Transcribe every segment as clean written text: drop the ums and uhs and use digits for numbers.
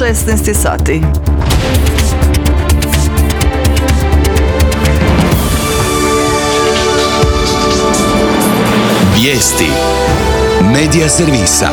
16 sati. Vijesti Medija servisa.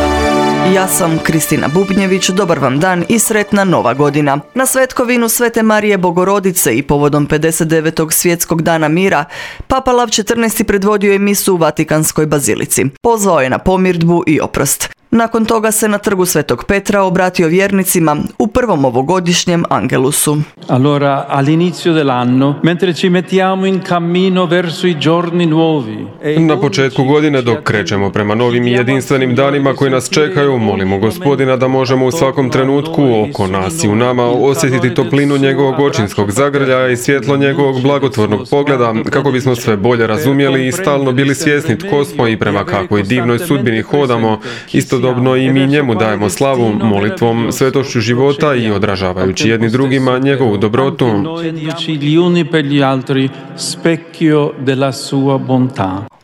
Ja sam Kristina Bubnjević, dobar vam dan i sretna nova godina. Na svetkovinu Svete Marije Bogorodice i povodom 59. svjetskog dana mira, Papa Lav XIV predvodio je misu u Vatikanskoj bazilici. Pozvao je na pomirdbu i oprost. Nakon toga se na trgu Svetog Petra obratio vjernicima u prvom ovogodišnjem Angelusu. Allora, all'inizio dell'anno, mentre ci mettiamo in cammino verso i giorni nuovi. Na početku godine, dok krećemo prema novim i jedinstvenim danima koji nas čekaju, molimo Gospodina da možemo u svakom trenutku oko nas i u nama osjetiti toplinu njegovog očinskog zagrljaja i svjetlo njegovog blagotvornog pogleda, kako bismo sve bolje razumjeli i stalno bili svjesni tko smo i prema kakvoj divnoj sudbini hodamo. Istodobno i mi njemu dajemo slavu molitvom, svetošću života i odražavajući jedni drugima njegovu dobrotu.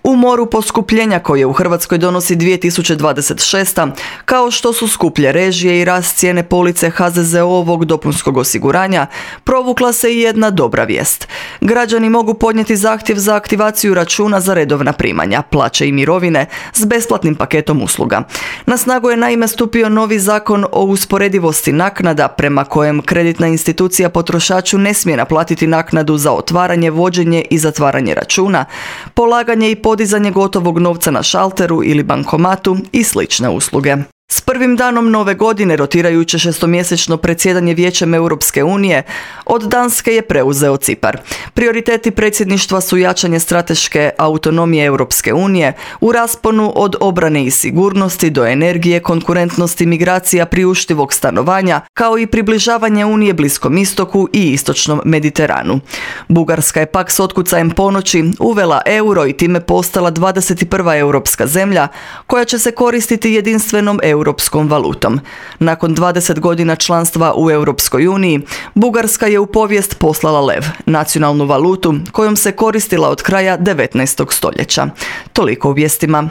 U moru poskupljenja koje u Hrvatskoj donosi 2026. kao što su skuplje režije i rast cijene police HZZO-ovog dopunskog osiguranja, provukla se i jedna dobra vijest. Građani mogu podnijeti zahtjev za aktivaciju računa za redovna primanja, plaće i mirovine s besplatnim paketom usluga. Na snagu je naime stupio novi zakon o usporedivosti naknada prema kojem kreditna institucija potrošaču ne smije naplatiti naknadu za otvaranje, vođenje i zatvaranje računa, polaganje i podizanje gotovog novca na šalteru ili bankomatu i slične usluge. S prvim danom nove godine rotirajuće šestomjesečno predsjedanje Vijećem Europske unije od Danske je preuzeo Cipar. Prioriteti predsjedništva su jačanje strateške autonomije Europske unije u rasponu od obrane i sigurnosti do energije, konkurentnosti, migracija, priuštivog stanovanja, kao i približavanje Unije Bliskom istoku i istočnom Mediteranu. Bugarska je pak s otkucajem ponoći uvela euro i time postala 21. europska zemlja koja će se koristiti jedinstvenom europskom valutom. Nakon 20 godina članstva u Europskoj uniji, Bugarska je u povijest poslala lev, nacionalnu valutu kojom se koristila od kraja 19. stoljeća. Toliko u vijestima.